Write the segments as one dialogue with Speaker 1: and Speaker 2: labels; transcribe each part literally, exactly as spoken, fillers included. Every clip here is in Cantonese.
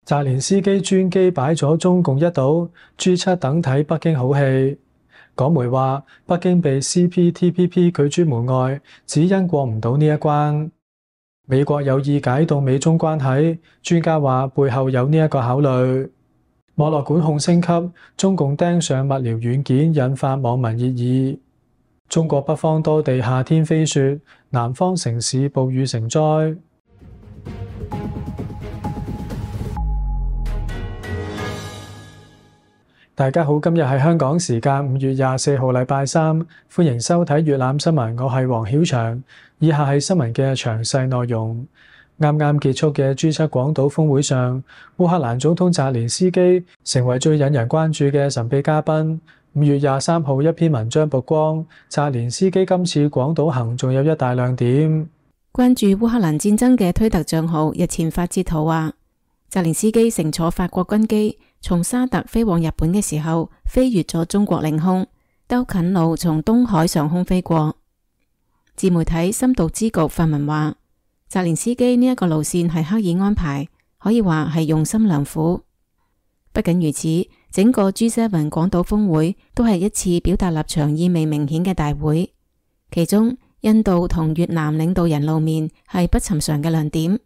Speaker 1: 澤連斯基專機擺咗中共一島，G 七等睇北京好戲。港媒話，北京被 C P T P P 拒諸門外，只因過唔到呢一關。美國有意解凍美中關係，專家話背後有呢一個考慮。網絡管控升級，中共盯上物聊軟件，引發網民熱議。中國北方多地夏天飛雪，南方城市暴雨成災。大家好，今日係香港時間五月廿四號禮拜三，歡迎收睇粵覽新聞，我係黃曉翔。以下係新聞嘅詳細內容。啱啱結束嘅 G 七廣島峰會上，烏克蘭總統澤連斯基成為最引人關注嘅神秘嘉賓。五月廿三號一篇文章曝光，澤連斯基今次廣島行仲有一大亮點。
Speaker 2: 關注烏克蘭戰爭嘅推特賬號日前發截圖話，澤連斯基乘坐法國軍機從沙特飛往日本嘅時候，飛越咗中國領空，兜近路從東海上空飛過。自媒體深度之局發文話，澤連斯基呢一個路線係刻意安排，可以話係用心良苦。不僅如此，整個 G 七 廣島峰會都係一次表達立場意味明顯嘅大會，其中印度同越南領導人露面係不尋常嘅亮點，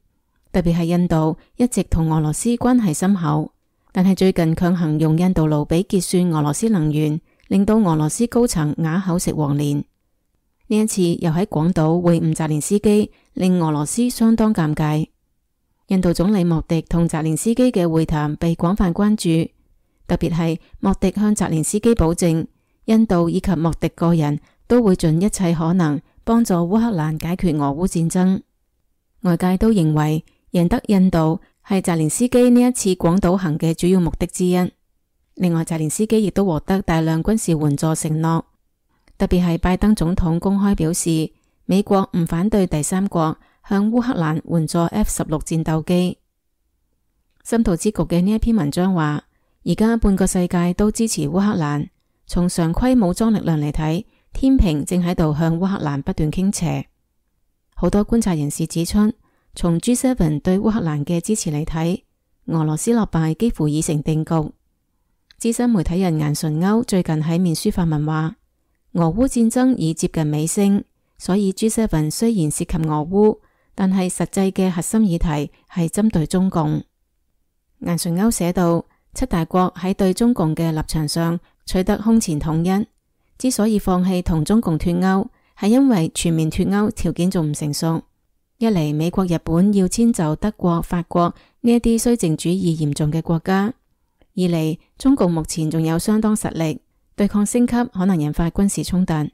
Speaker 2: 特別係印度一直同俄羅斯關係深厚，但係最近強行用印度盧比結算俄羅斯能源，令到俄羅斯高層啞口食黃連。呢一次又喺廣島會晤澤連斯基，令俄羅斯相當尷尬。印度總理莫迪同澤連斯基嘅會談被廣泛關注，特別係莫迪向澤連斯基保證，印度以及莫迪個人都會盡一切可能幫助烏克蘭解決俄烏戰爭。外界都認為贏得印度係澤連斯基呢一次廣島行嘅主要目的之一。另外，澤連斯基亦都獲得大量軍事援助承諾，特別係拜登總統公開表示，美國唔反對第三國向烏克蘭援助 F 十六 戰鬥機。深度之局嘅呢一篇文章話，而家半個世界都支持烏克蘭，從常規武裝力量嚟睇，天平正喺度向烏克蘭不斷傾斜。好多觀察人士指出，從 G 七 對烏克蘭嘅支持嚟睇，俄羅斯落敗幾乎已成定局。資深媒體人顏純鈎最近喺面書發文話，俄烏戰爭已接近尾聲，所以 G 七 雖然涉及俄烏，但係實際嘅核心議題係針對中共。顏純鈎寫道，七大國喺對中共嘅立場上取得空前統一，之所以放棄同中共脫鈎，係因為全面脫鈎條件仲唔成熟。一嚟，美國、日本要遷就德國、法國呢一啲綏靖主義嚴重嘅國家；二嚟，中共目前仲有相當實力，對抗升級可能引發軍事衝突，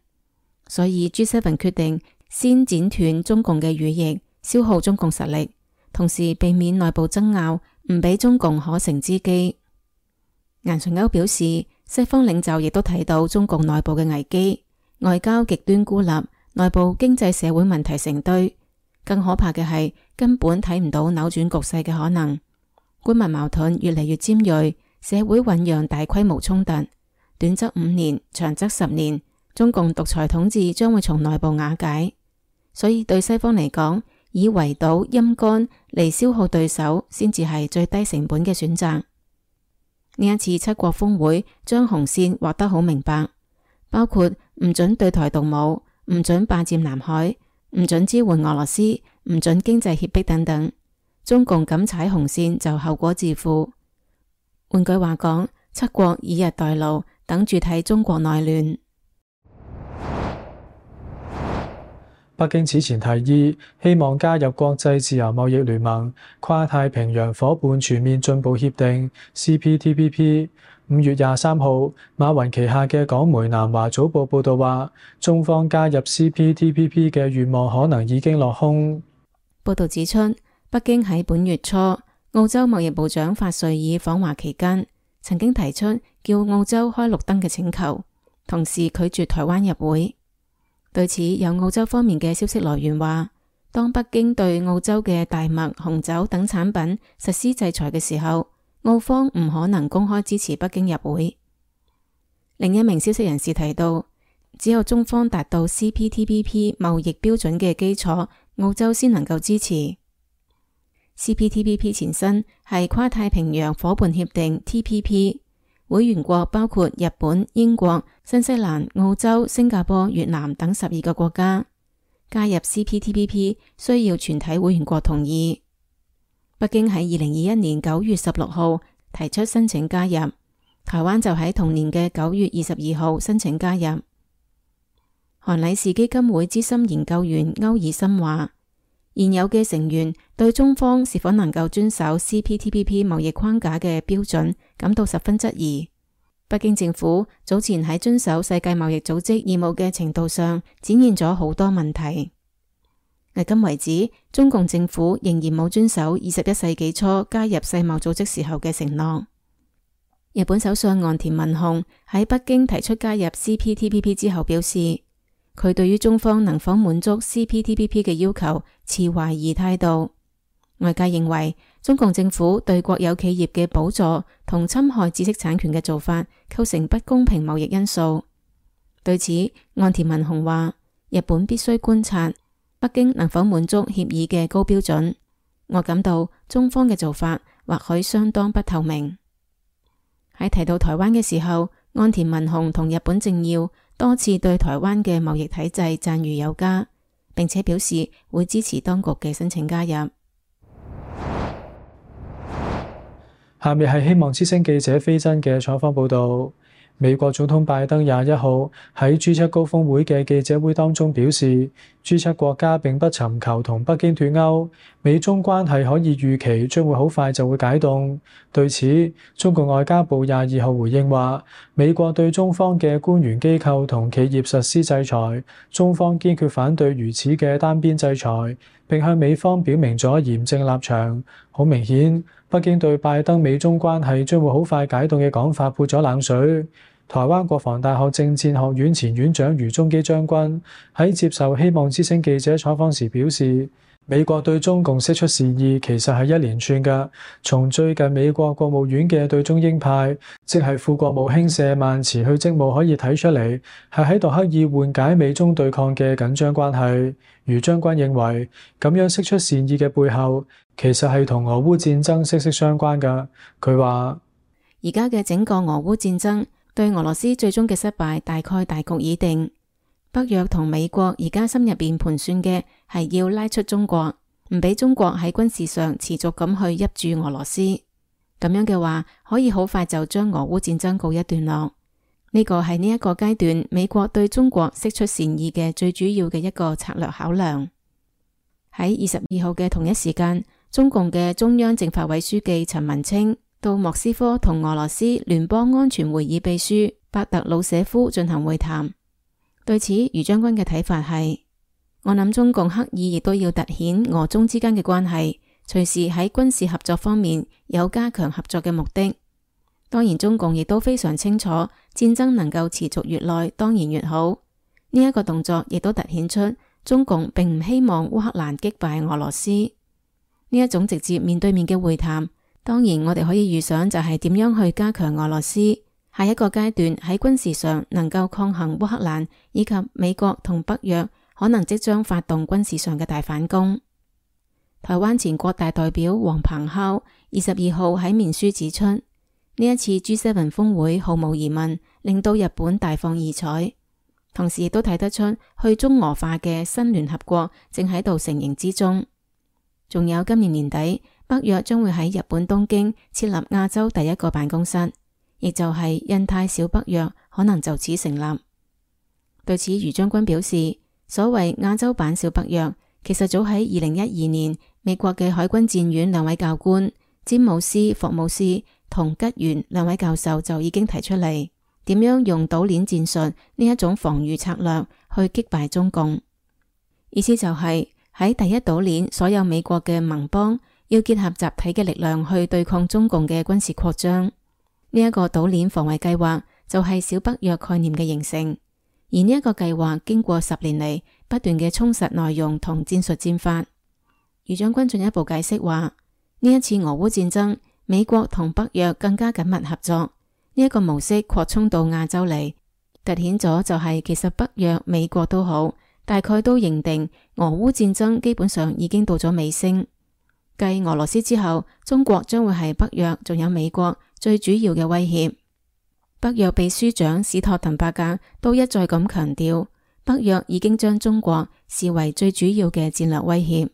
Speaker 2: 所以 G 七 決定先剪斷中共嘅羽翼，消耗中共實力，同時避免內部爭拗，唔俾中共可乘之機。顏純鈎表示，西方領袖亦都睇到中共內部嘅危機，外交極端孤立，內部經濟社會問題成堆。更可怕嘅係，根本睇唔到扭轉局勢嘅可能。官民矛盾越嚟越尖銳，社會醞釀大規模衝突，短則五年，長則十年，中共獨裁統治將會從內部瓦解。所以對西方嚟講，以圍堵陰乾嚟消耗對手，先至係最低成本嘅選擇。呢一次七國峰會將紅線畫得好明白，包括唔准對台動武，唔准霸佔南海，唔准支援俄羅斯，唔准經濟脅迫等等。中共敢踩紅線就後果自負。換句話講，七國以逸待勞，等住睇中國內亂。
Speaker 1: 北京此前提議希望加入國際自由貿易聯盟、跨太平洋夥伴全面進步協定 C P T P P。五月廿三號，馬雲旗下嘅港媒南華早報報道話，中方加入 C P T P P 嘅願望可能已經落空。
Speaker 2: 報道指出，北京喺本月初，澳洲貿易部長法瑞爾訪華期間，曾經提出叫澳洲開綠燈嘅請求，同時拒絕台灣入會。對此，有澳洲方面嘅消息來源話，當北京對澳洲嘅大麥、紅酒等產品實施制裁嘅時候，澳方唔可能公開支持北京入會。另一名消息人士提到，只有中方達到 C P T P P 貿易標準嘅基礎，澳洲先能夠支持。C P T P P 前身係跨太平洋夥伴協定 T P P， 會員國包括日本、英國、新西蘭、澳洲、新加坡、越南等十二個國家。加入 C P T P P 需要全體會員國同意。北京喺二零二一年九月十六號提出申請加入，台灣就喺同年嘅九月二十二號申請加入。韓禮士基金會資深研究員歐爾森話，現有嘅成員對中方是否能夠遵守 C P T P P 貿易框架嘅標準感到十分質疑。北京政府早前喺遵守世界貿易組織義務嘅程度上展現咗好多問題。迄今為止，中共政府仍然冇遵守二十一世紀初加入世貿組織時候嘅承諾。日本首相岸田文雄喺北京提出加入 C P T P P 之後表示，佢對於中方能否滿足 C P T P P 嘅要求持懷疑態度。外界認為中共政府對國有企業嘅補助同侵害知識產權嘅做法構成不公平貿易因素。對此，岸田文雄話，日本必須觀察北京能否滿足協議嘅高標準。我感到中方嘅做法或許相當不透明。喺提到台灣嘅時候，岸田文雄同日本政要多次對台灣嘅貿易體制讚譽有加，並且表示會支持當局嘅申請加入。
Speaker 1: 下面係希望之聲記者飛真嘅採訪報道。美國總統拜登廿一號喺 G 七高峰會嘅記者會當中表示 ，G 七國家並不尋求同北京脫鈎，美中關係可以預期將會好快就會解凍。對此，中國外交部廿二號回應話，美國對中方嘅官員機構同企業實施制裁，中方堅決反對如此嘅單邊制裁，並向美方表明咗嚴正立場。好明顯，北京對拜登美中關係將會好快解凍嘅講法潑咗冷水。台灣國防大學政戰學院前院長余宗基將軍喺接受希望之聲記者採訪時表示，美國對中共釋出善意其實係一連串嘅，從最近美國國務院嘅對中鷹派，即係副國務卿舍曼辭去職務可以睇出嚟，係喺度刻意緩解美中對抗嘅緊張關係。余將軍認為，咁樣釋出善意嘅背後，其實係同俄烏戰爭息息相關嘅。佢話，
Speaker 2: 而家嘅整個俄烏戰爭對俄羅斯最終嘅失敗大概大局已定。北約同美國而家心入邊盤算嘅係要拉出中國，唔俾中國喺軍事上持續咁去挹注俄羅斯。咁樣嘅話，可以好快就將俄烏戰爭告一段落。呢個係呢一個階段美國對中國釋出善意嘅最主要嘅一個策略考量。喺二十二號嘅同一時間，中共嘅中央政法委書記陳文清到莫斯科同俄羅斯聯邦安全會議秘書伯特魯舍夫進行會談。對此，余將軍嘅睇法係，我諗中共刻意亦都要凸顯俄中之間嘅關係，隨時喺軍事合作方面有加強合作嘅目的。當然，中共亦都非常清楚戰爭能夠持續越耐當然越好。呢一個動作亦都凸顯出中共並唔希望烏克蘭擊敗俄羅斯。呢一種直接面對面嘅會談，當然我哋可以預想就係點樣去加強俄羅斯下一個階段喺軍事上能夠抗衡烏克蘭以及美國同北約可能即將發動軍事上嘅大反攻。台灣前國大代表黃鵬敲二十二號喺面書指出，呢一次 G 七 峰會毫無疑問令到日本大放異彩，同時亦都睇得出去中俄化嘅新聯合國正喺度成形之中。仲有今年年底，北約將會喺日本東京設立亞洲第一個辦公室，亦就係印太小北約可能就此成立。對此，余將軍表示，所謂亞洲版小北約，其實早喺二零一二年，美國嘅海軍戰院兩位教官詹姆斯·霍姆斯同吉原兩位教授就已經提出嚟，點樣用島鏈戰術呢一種防禦策略去擊敗中共。意思就係喺第一島鏈，所有美國嘅盟邦要結合集體嘅力量去對抗中共嘅軍事擴張。呢一個島鏈防衛計劃就係小北約概念嘅形成。而呢一個計劃經過十年嚟不斷嘅充實內容同戰術戰法。余將軍進一步解釋話，呢一次俄烏戰爭，美國同北約更加緊密合作，呢、這、一個模式擴充到亞洲嚟，凸顯咗就係其實北約、美國都好，大概都認定俄烏戰爭基本上已經到咗尾聲。繼俄羅斯之後，中國將會係北約仲有美國最主要嘅威脅。北約秘書長史托滕伯格都一再咁強調，北約已經將中國視為最主要嘅戰略威脅。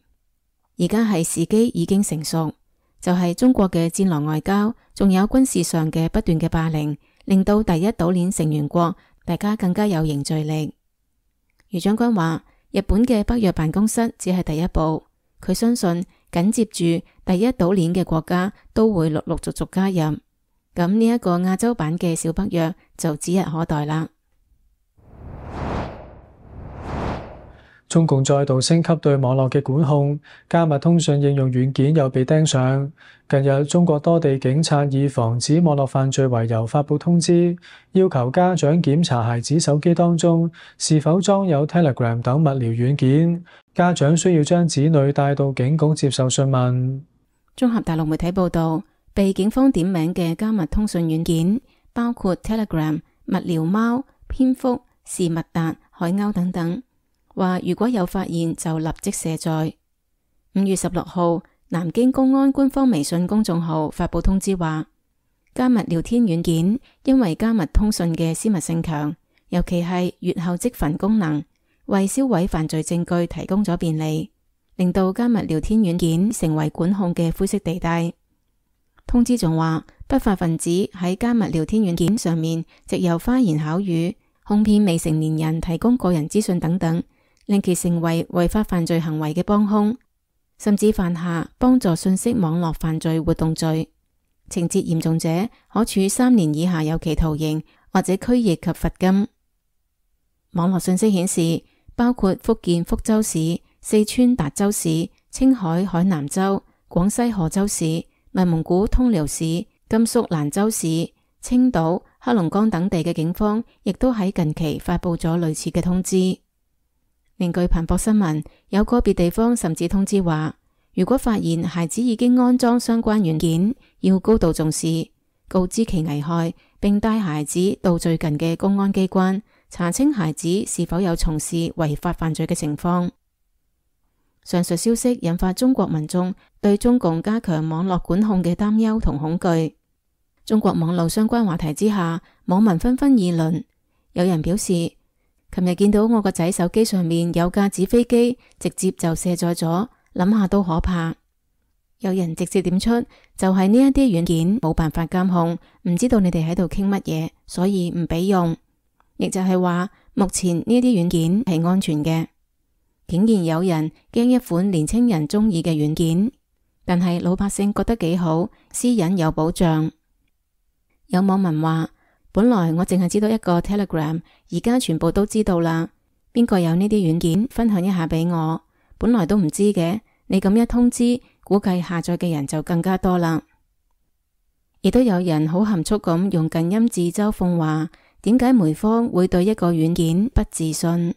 Speaker 2: 而家係時機已經成熟，就係中國嘅戰狼外交，仲有軍事上嘅不斷嘅霸凌，令到第一島鏈成員國大家更加有凝聚力。余將軍話，日本嘅北約辦公室只係第一步，佢相信緊接住第一島鏈嘅國家都會陸陸續續加入，咁呢一個亞洲版嘅小北約就指日可待啦。
Speaker 1: 中共再度升級對網絡嘅管控，加密通訊應用軟件又被盯上。近日，中國多地警察以防止網絡犯罪為由發佈通知，要求家長檢查孩子手機當中是否裝有 Telegram 等物聊軟件。家長需要將子女帶到警局接受訊問。
Speaker 2: 綜合大陸媒體報道，被警方點名嘅加密通訊軟件包括 Telegram、物聊貓、蝙蝠、是密達、海鷗等等。話如果有發現就立即卸載。五月十六號，南京公安官方微信公眾號發佈通知話，加密聊天軟件因為加密通訊嘅私密性強，尤其係閱後即焚功能，為銷毀犯罪證據提供咗便利，令到加密聊天軟件成為管控嘅灰色地帶。通知仲話，不法分子喺加密聊天軟件上面藉由花言巧語，哄騙未成年人提供個人資訊等等，令其成為違法犯罪行為嘅幫兇，甚至犯下幫助信息網絡犯罪活動罪，情節嚴重者可處三年以下有期徒刑或者拘役及罰金。網絡信息顯示，包括福建福州市、四川達州市、青海海南州、廣西賀州市、內蒙古通遼市、甘肅蘭州市、青島、黑龍江等地嘅警方亦都喺近期發佈咗類似嘅通知。另據彭博新聞，有個別地方甚至通知話，如果發現孩子已經安裝相關軟件，要高度重視，告知其危害，並帶孩子到最近嘅公安機關查清孩子是否有從事違法犯罪嘅情況。上述消息引發中國民眾對中共加強網絡管控嘅擔憂同恐懼。中國網絡相關話題之下，網民紛紛議論。有人表示，琴日見到我個仔手機上面有架紙飛機，直接就卸載咗，諗下都可怕。有人直接點出，就係呢一啲軟件冇辦法監控，唔知道你哋喺度傾乜嘢，所以唔俾用。亦就係話，目前呢啲軟件係安全嘅。竟然有人驚一款年輕人中意嘅軟件，但係老百姓覺得幾好，私隱有保障。有網民話，本來我淨係知道一個 Telegram， 而家全部都知道啦。邊個有呢啲軟件，分享一下俾我。本來都唔知嘅，你咁一通知，估計下載嘅人就更加多啦。亦都有人好含蓄咁用近音字嘲諷話，點解梅芳會對一個軟件不自信？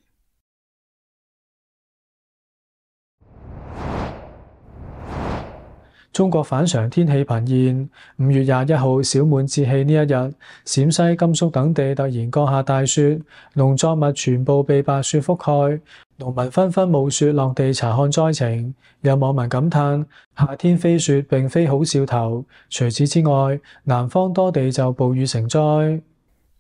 Speaker 1: 中國反常天氣頻現，五月廿一號小滿節氣呢一日，陝西、甘肅等地突然降下大雪，農作物全部被白雪覆蓋，農民紛紛冒雪落地查看災情。有網民感嘆：夏天飛雪並非好兆頭。除此之外，南方多地就暴雨成災。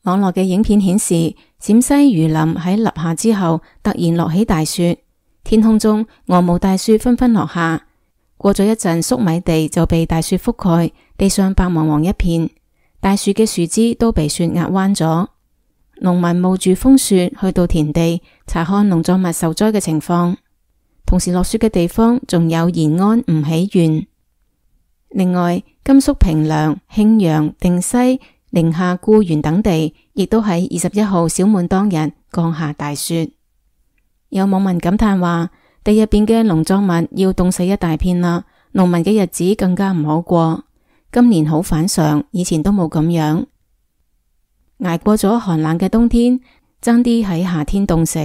Speaker 2: 網絡嘅影片顯示，陝西榆林喺立夏之後突然落起大雪，天空中鵝毛大雪紛紛落下。過咗一陣，粟米地就被大雪覆蓋，地上白茫茫一片，大樹嘅樹枝都被雪壓彎咗。農民冒住風雪去到田地查看農作物受災嘅情況。同時落雪嘅地方仲有延安吳起縣。另外，甘肅平涼、慶陽、定西、寧夏固原等地亦都喺二十一號小滿當日降下大雪。有網民感嘆話，地入邊嘅農作物要凍死一大片啦，農民嘅日子更加唔好過。今年好反常，以前都冇咁樣。捱過咗寒冷嘅冬天，爭啲喺夏天凍死。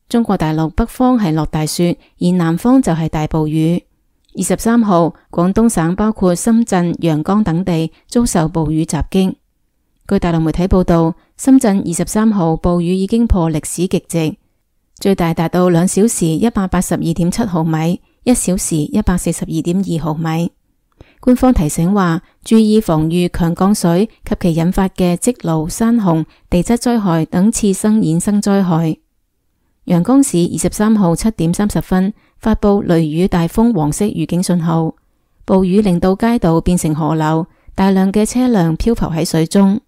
Speaker 2: 中國大陸北方係落大雪，而南方就係大暴雨。二十三號，廣東省包括深圳、陽江等地遭受暴雨襲擊。據大陸媒體報道，深圳二十三號暴雨已經破歷史極值。最大達到兩小時一百八十二點七毫米，一小時一百四十二點二毫米。官方提醒話，注意防禦強降水及其引發嘅積澇、山洪、地質災害等次生衍生災害。陽江市二十三號七點三十分發布雷雨大風黃色預警信號，暴雨令到街道變成河流，大量嘅車輛漂浮喺水中。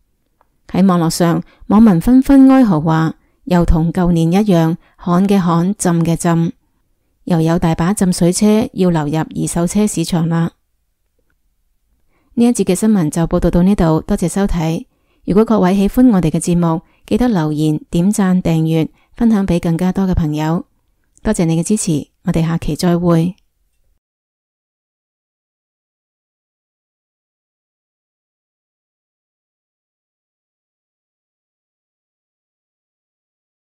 Speaker 2: 喺網絡上，網民紛紛哀嚎話，又同舊年一樣，旱嘅旱，浸嘅浸，又有大把浸水車要流入二手車市場啦。呢一節嘅新聞就報道到呢度，多謝收睇。如果各位喜歡我哋嘅節目，記得留言、點讚、訂閱、分享俾更加多嘅朋友。多謝你嘅支持，我哋下期再會。